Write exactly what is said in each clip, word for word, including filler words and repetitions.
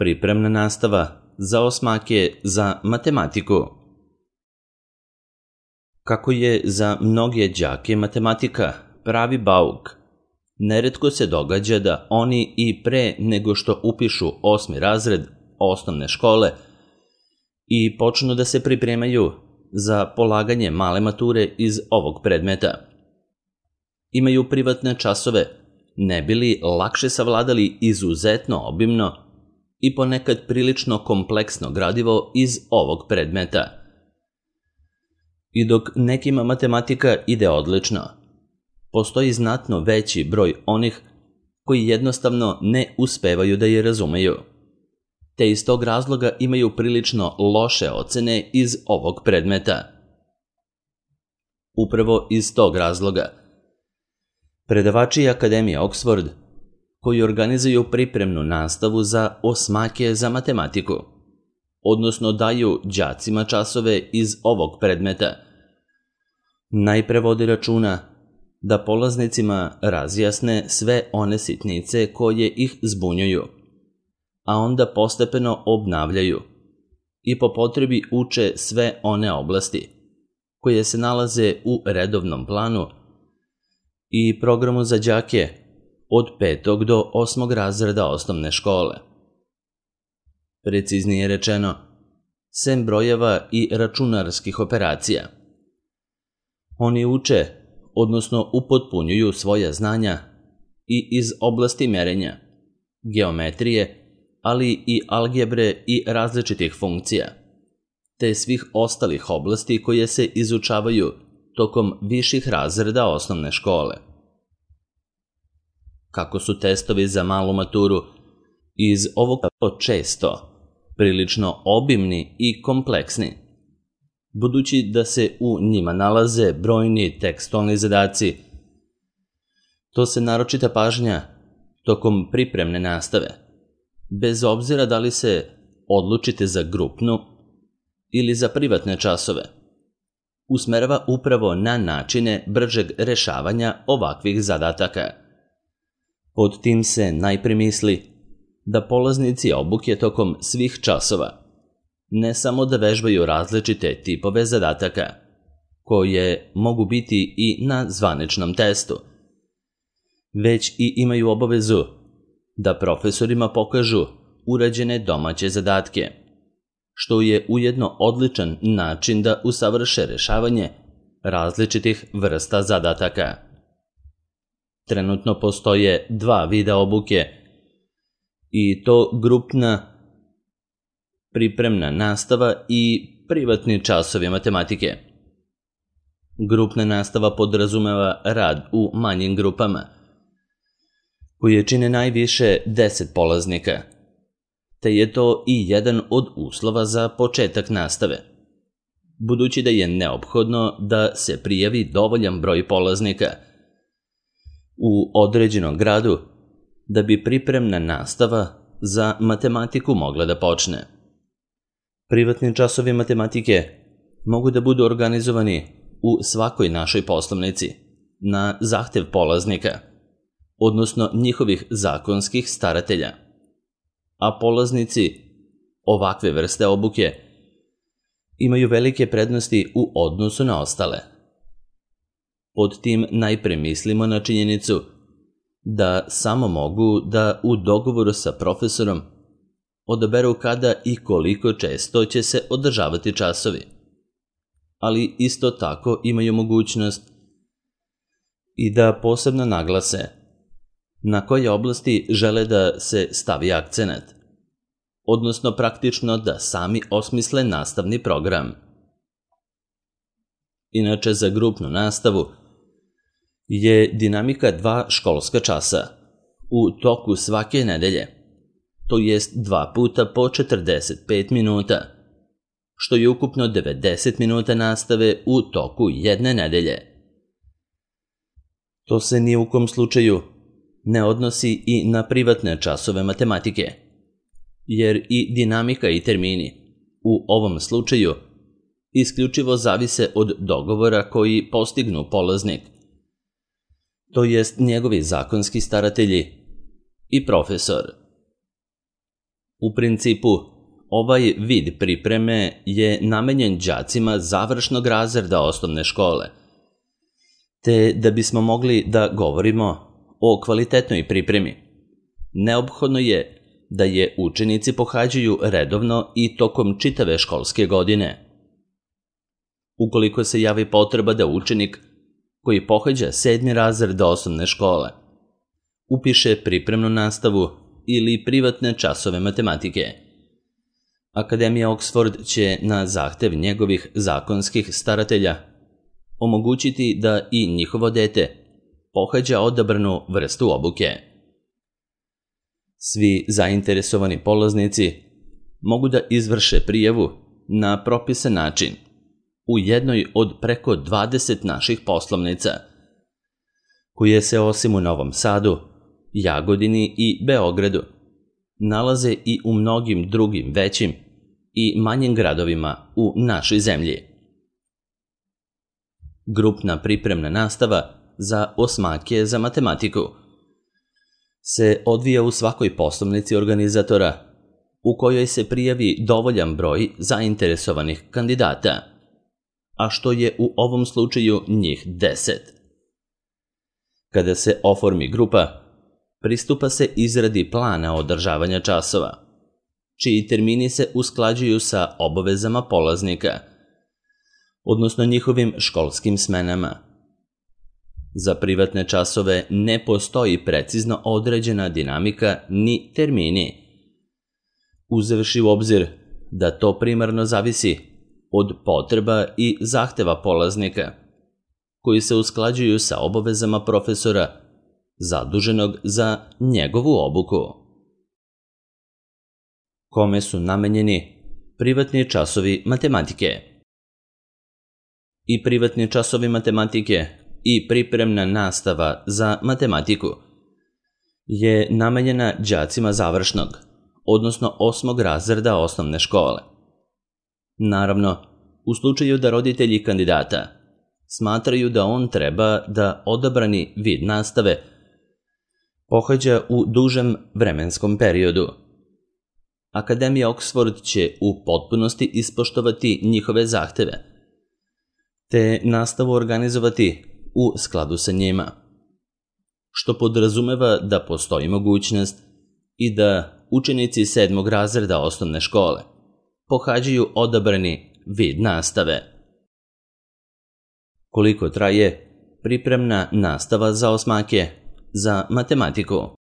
Pripremna nastava za osmake za matematiku. Kako je za mnoge đake matematika pravi bauk, neretko se događa da oni i pre nego što upišu osmi razred osnovne škole i počnu da se pripremaju za polaganje male mature iz ovog predmeta, imaju privatne časove, ne bi li lakše savladali izuzetno obimno i ponekad prilično kompleksno gradivo iz ovog predmeta. I dok nekima matematika ide odlično, postoji znatno veći broj onih koji jednostavno ne uspevaju da je razumeju, te iz tog razloga imaju prilično loše ocene iz ovog predmeta. Upravo iz tog razloga, predavači Akademije Oxford, koji organizuju pripremnu nastavu za osmake za matematiku, odnosno daju đacima časove iz ovog predmeta, najpre vodi računa da polaznicima razjasne sve one sitnice koje ih zbunjuju, a onda postepeno obnavljaju i po potrebi uče sve one oblasti koje se nalaze u redovnom planu i programu za đake od petog do osmog razreda osnovne škole. Preciznije rečeno, sem brojeva i računarskih operacija. Oni uče, odnosno upotpunjuju svoja znanja i iz oblasti merenja, geometrije, ali i algebre i različitih funkcija, te svih ostalih oblasti koje se izučavaju tokom viših razreda osnovne škole. Kako su testovi za malu maturu iz ovog često prilično obimni i kompleksni, budući da se u njima nalaze brojni tekstualni zadaci, to se naročita pažnja tokom pripremne nastave, bez obzira da li se odlučite za grupnu ili za privatne časove, usmerava upravo na načine bržeg rešavanja ovakvih zadataka. Pod tim se najpre misli da polaznici obuke tokom svih časova ne samo da vežbaju različite tipove zadataka, koje mogu biti i na zvaničnom testu, već i imaju obavezu da profesorima pokažu urađene domaće zadatke, što je ujedno odličan način da usavrše rešavanje različitih vrsta zadataka. Trenutno postoje dva vida obuke, i to grupna pripremna nastava i privatni časovi matematike. Grupna nastava podrazumeva rad u manjim grupama, koje čine najviše deset polaznika, te je to i jedan od uslova za početak nastave, budući da je neophodno da se prijavi dovoljan broj polaznika u određenom gradu da bi pripremna nastava za matematiku mogla da počne. Privatni časovi matematike mogu da budu organizovani u svakoj našoj poslovnici na zahtev polaznika, odnosno njihovih zakonskih staratelja, a polaznici ovakve vrste obuke imaju velike prednosti u odnosu na ostale. Pod tim najpre mislimo na činjenicu da samo mogu da u dogovoru sa profesorom odaberu kada i koliko često će se održavati časovi, ali isto tako imaju mogućnost i da posebno naglase na koje oblasti žele da se stavi akcenat, odnosno praktično da sami osmisle nastavni program. Inače, za grupnu nastavu je dinamika dva školska časa u toku svake nedelje, to jest dva puta po četrdeset pet minuta, što je ukupno devedeset minuta nastave u toku jedne nedelje. To se ni u kom slučaju ne odnosi i na privatne časove matematike, jer i dinamika i termini u ovom slučaju isključivo zavise od dogovora koji postignu polaznik, to jest njegovi zakonski staratelji i profesor. U principu, ovaj vid pripreme je namenjen đacima završnog razreda osnovne škole, te da bismo mogli da govorimo o kvalitetnoj pripremi, neophodno je da je učenici pohađaju redovno i tokom čitave školske godine. Ukoliko se javi potreba da učenik koji pohađa sedmi razred osnovne škole upiše pripremnu nastavu ili privatne časove matematike, Akademija Oxford će na zahtev njegovih zakonskih staratelja omogućiti da i njihovo dete pohađa odabranu vrstu obuke. Svi zainteresovani polaznici mogu da izvrše prijavu na propisan način u jednoj od preko dvadeset naših poslovnica, koje se osim u Novom Sadu, Jagodini i Beogradu nalaze i u mnogim drugim većim i manjim gradovima u našoj zemlji. Grupna pripremna nastava za osmake za matematiku se odvija u svakoj poslovnici organizatora u kojoj se prijavi dovoljan broj zainteresovanih kandidata, a što je u ovom slučaju njih deset. Kada se oformi grupa, pristupa se izradi plana održavanja časova, čiji termini se usklađuju sa obavezama polaznika, odnosno njihovim školskim smenama. Za privatne časove ne postoji precizno određena dinamika ni termini, uzevši u obzir da to primarno zavisi od potreba i zahteva polaznika, koji se usklađuju sa obavezama profesora zaduženog za njegovu obuku. Kome su namenjeni privatni časovi matematike? I privatni časovi matematike i pripremna nastava za matematiku je namenjena đacima završnog, odnosno osmog razreda osnovne škole. Naravno, u slučaju da roditelji kandidata smatraju da on treba da odabrani vid nastave pohađa u dužem vremenskom periodu, Akademija Oxford će u potpunosti ispoštovati njihove zahteve, te nastavu organizovati u skladu sa njima, što podrazumeva da postoji mogućnost i da učenici sedmog razreda osnovne škole pohađaju odabrani vid nastave. Koliko traje pripremna nastava za osmake za matematiku?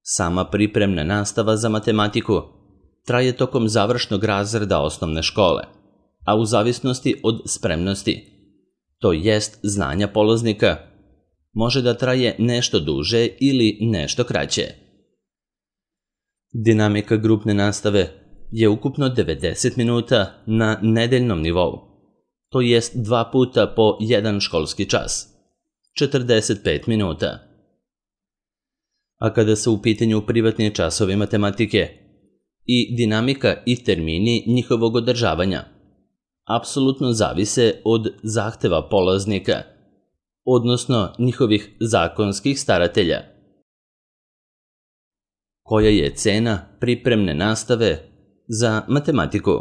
Sama pripremna nastava za matematiku traje tokom završnog razreda osnovne škole, a u zavisnosti od spremnosti, to jest znanja polaznika, može da traje nešto duže ili nešto kraće. Dinamika grupne nastave je ukupno devedeset minuta na nedeljnom nivou, to jest dva puta po jedan školski čas, četrdeset pet minuta. A kada su u pitanju privatni časovi matematike i dinamika i termini njihovog održavanja, apsolutno zavise od zahteva polaznika, odnosno njihovih zakonskih staratelja. Koja je cena pripremne nastave za matematiku?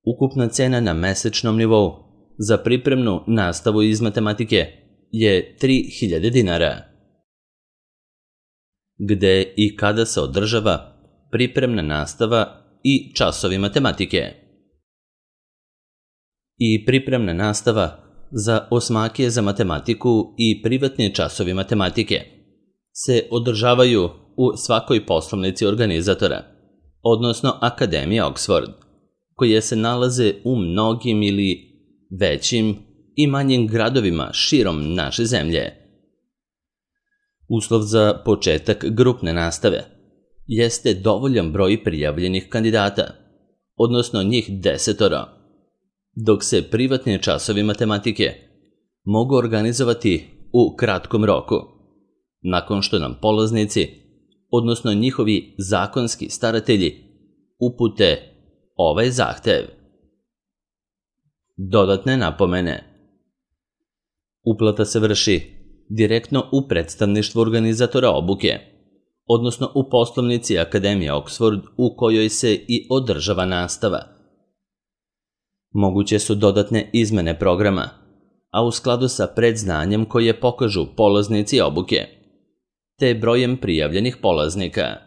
Ukupna cena na mesečnom nivou za pripremnu nastavu iz matematike je tri hiljade dinara. Gde i kada se održava pripremna nastava i časovi matematike? I pripremna nastava za osmake za matematiku i privatni časovi matematike se održavaju u svakoj poslovnici organizatora, odnosno Akademije Oxford, koje se nalaze u mnogim ili većim i manjim gradovima širom naše zemlje. Uslov za početak grupne nastave jeste dovoljan broj prijavljenih kandidata, odnosno njih desetoro, dok se privatni časovi matematike mogu organizovati u kratkom roku, nakon što nam polaznici, odnosno njihovi zakonski staratelji, upute ovaj zahtev. Dodatne napomene. Uplata se vrši direktno u predstavništvu organizatora obuke, odnosno u poslovnici Akademije Oxford u kojoj se i održava nastava. Moguće su dodatne izmene programa, a u skladu sa predznanjem koje pokažu polaznici obuke, te brojem prijavljenih polaznika.